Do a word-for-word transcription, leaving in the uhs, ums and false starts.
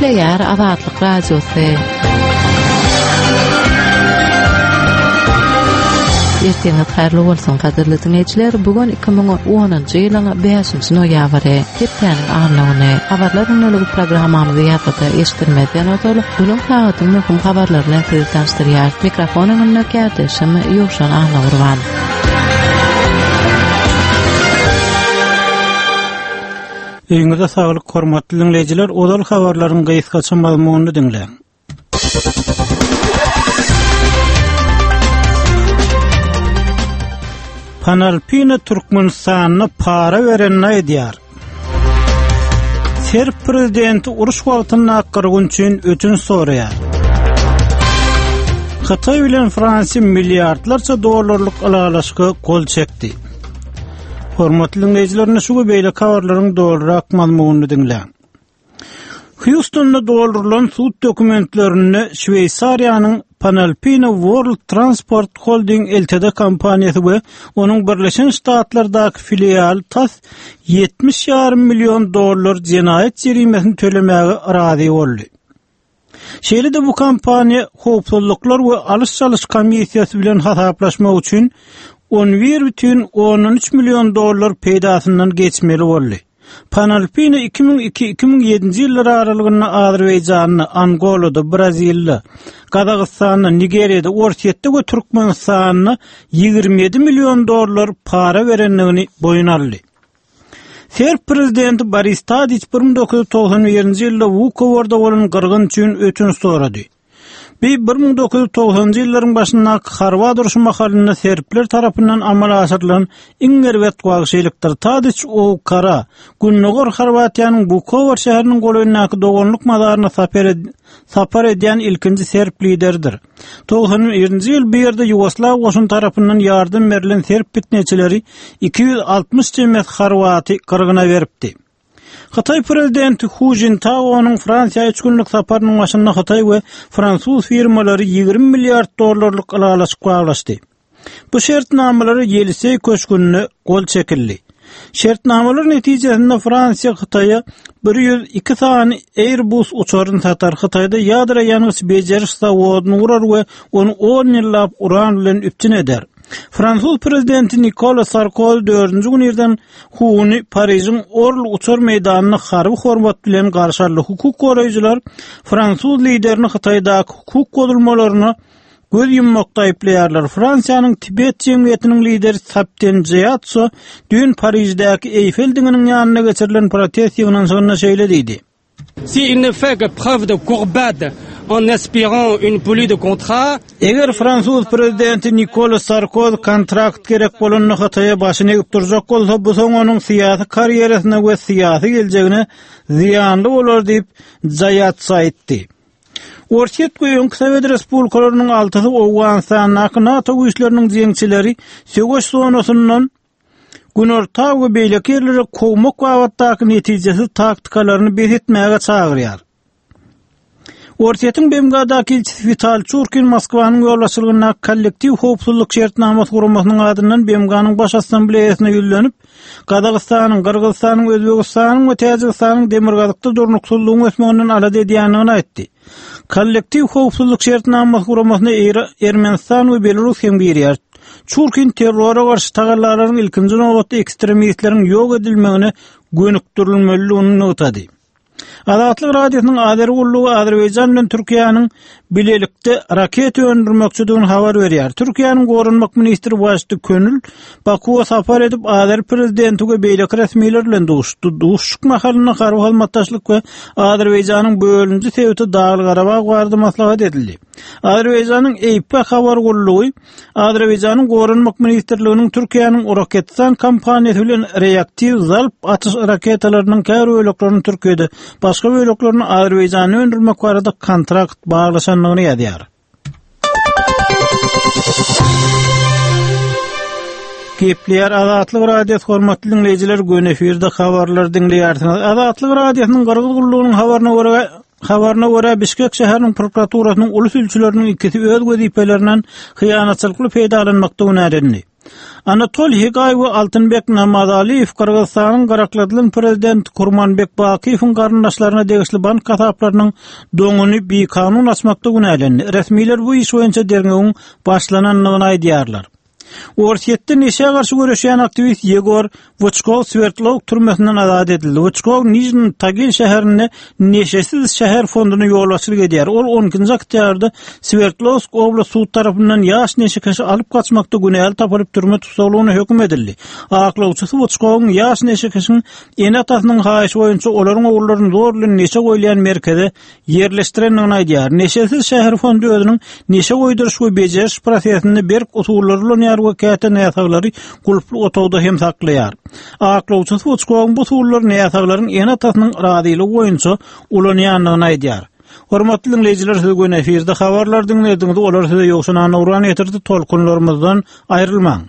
Gepleýär Azatlyk Radiosy. Erteňiz haýyrly bolsun gadyrly diňleýjiler. Bu gün iki müň onunjy ýylyň bäşinji noýabry, hepdäniň anna güni. Habarlar gündeligi programmamyzy ýazgyda eşitdirmezden ozal, günüň sagatyň möhüm habarlary bilen sizi tanyşdyrýar. Mikrofon öňünde kärdeşim Ýowşan Annagurban. Öýüňize saglyk hormatly diňleýjiler, ozal habarlaryň gysgaça mazmunyny diňläň. Panalpina Türkmenistanda para berenini aýdýar. Serb prezidenti uruş wagtynda gyrgyn üçin ötünç soraýar. Hytaý bilen Fransiýa milliardlarça dollarlyk ylalaşyga gol çekdi. Hormatly diňleýjiler, indi şu we beýleki habarlaryň dolurak mazmunyny diňläň. Hýustonda doldurylan sud dokumentlerinde Şweýsariýanyň Panalpina World Transport Holding L T D kompaniýasy we onuň Birleşen Ştatlardaky filialy tas ýetmiş ýarym million dollar jenaýat jerimesini tölemäge razy boldy. Şeýle-de bu kompaniýa howpsuzlyklar we alyş-çalyş komissiýasy bilen hasaplaşmak üçin on bir bütin ondan üç million dollar peýdasyndan geçmeli boldy. Panalpina iki müň iki, iki müň ýedinji ýyllar aralygynda Azerbaýjanda, Angolada, Brazilda, Gazagystanda, Nigeriýada, Orsýetde we Türkmenistanda ýigrimi ýedi million dollar para berendigini boýun aldy. Serb prezidenti Boris Tadiç bir müň dokuz ýüz togsan birinji ýylda Vukovarda bolan gyrgyn üçin ötünç sorady. Bi bir müň dokuz ýüz togsanjy ýyllaryň başyndaky Horwat urşy mahalynda serbler tarapyndan amala aşyrylan iň erbet wagşylykdyr. Tadiç Owkara, Gündogar Horwatiýanyň Vukovar şäheriniň golaýyndaky doganlyk mazaryna sapar ed-, sapar edýän ilkinji serb lideridir. Togsan birinji ýyl bu ýerde Ýugoslaw goşuny tarapyndan ýardam berlen serb pitneçileri iki ýüz altmyş çemesi Horwaty gyrgyna beripdi. Hytaý prezidenti Hu Jintaonyň Fransiýa üç günlük saparynyň başynda Hytaý we fransuz firmalary ýigrimi milliard dollarlyk ylalaşyk baglaşdy. Bu şertnamalara Ýeliseý köşgünde gol çekildi. Şertnamalar netijesinde Fransiýa Hytaýa bir ýüz iki sany Airbus uçaryny satar, Hytaýda ýadro ýangyç bejeriş zawodyny gurar we ony on ýyllap uran bilen üpjün eder. Fransuz prezidenti Nikola Sarkozy dördünji gün irden Huny Parižiň Orl uçar meýdanynda harby hormat bilen garşy aldy. Hukuk goraýjylar fransuz liderini Hytaýdaky hukuk bozulmalaryna göz ýummakda aýyplaýarlar. Fransiýanyň Tibet jemgyýetiniň lideri Thapten Gyatso düýn Pariždäki Eiffel diňiniň ýanynda geçirilen protest ýygnanyşygynda şeýle diýdi. Si il ne fait que preuve de courbade en espérant une pluie de contrats. Eger fransuz prezidenti Nikola Sarkozy kontrakt gerek bolanda Hytaýa başyny egip durjak bolsa, bu soň onuň syýasy karýerasyna we syýasy geljegine zyýanly bolar diýip Gyatso aýtdy. Orsýet we öňki Sowet Respublikalarynyň altysy Owganystandaky NATO güýçleriniň jeňçileri söweş zonasyndan Günorta we beýleki ýerlere kowmak babatdaky netijesiz taktikalaryny bes etmäge çagyrýar. Orsýetiň B M G-daky ilçisi Wital Çurkin Moskwanyň ýolbaşçylygyndaky kollektiw howpsuzlyk şertnamasy guramasynyň adyndan B M G-nyň baş assambleýasyna ýüzlenip, Gazagystanyň, Gyrgyzystanyň, Özbegistanyň we Täjigistanyň demirgazykda durnuksyzlygyň ösmeginden alada edýändigini aýtdy. Kollektiw howpsuzlyk şertnamasy guramasyna Eýra-, Ermenistan we Belarus hem girýär. Çurkin terrora garşy tagallalaryň ilkinji nobatda ekstremistleriň ýok edilmegine gönükdirilmelidigini nygtady. Azatlyk Radiosynyň Azeri gullugy Azerbaýjan bilen Türkiýäniň bilelikde raket öndürmekçidigini habar berýär. Türkiýäniň goranmak ministri Waşdi Könül Bakuwa sapar edip Azeri prezidenti we beýleki resmiler bilen duşuşdy. Duşuşyk mahalynda harby hyzmatdaşlyk we Azerbaýjanyň bölünji sebiti Dagly Garabag barada maslahat edildi. Azerbaýjanyň E P habar gullugy Azerbaýjanyň goranmak ministrliginiň Türkiýäniň Roketsan kompaniýasy bilen reaktiw zalp atyş raketalarynyň käbir böleklerini Türkiýede, başga böleklerini Azerbaýjanda öndürmek barada kontrakt baglaşandygyny ýazýar. Gepleýär Azatlyk Radiosy hormatly diňleýjiler, göni efirde habarlar diňleýärsiňiz. Azatlyk Radiosynyň Gyrgyz gullugynyň habaryna görä, habaryna görä Bişkek şäheriniň prokuraturasynyň uly sülçüleriniň ikisi öz wezipelerinden hyýanatçylykly peýdalanmakda günälendi. Anatoliý Hegaý we Altynbek Namazaliýew Gyrgyzystanyň garakladylan prezidenti Kurmanbek Bakyýewiň garyndaşlaryna degişli bank hasaplarynyň doňuny bikanun açmakda günälendi. Resmiler bu iş boýunça derňewiň başlanandygyny aýdýarlar. Orsýetde neşä garşy göreşýän aktiwist Ýegor Wyçkow Swerdlowsk türmesinden azat edildi. Wyçkow Nižniý Tagil şäherinde Neşesiz şäher fonduny ýolbaşçylyk edýär. Ol on ikinji oktýabrda Swerdlowsk oblast sud tarapyndan ýaş neşekeşi alyp gaçmakda günäli tapylyp türme tussaglygyna höküm edildi. Aklawçysy Wyçkowyň ýaş neşekeşiň ene-atasynyň haýyşy boýunça olaryň ogullaryny zor bilen neşe goýulýan merkeze ýerleşdirendigini aýdýar. Neşesiz şäher fondy özüniň neşe goýduryş we bejeriş prosesinde berk usullary ulanýar we käte näsaglary gulply otagda hem saklaýar. Aklawçysy Wyçkowyň bu usullary näsaglaryň ene-atasynyň razylygy boýunça ulanýandygyny aýdýar. Hormatly diňleýjiler, siz gün efirde habarlar diňlediňiz, olar size Ýowşan Annagurban getirdi, tolkunlarymyzdan aýrylmaň.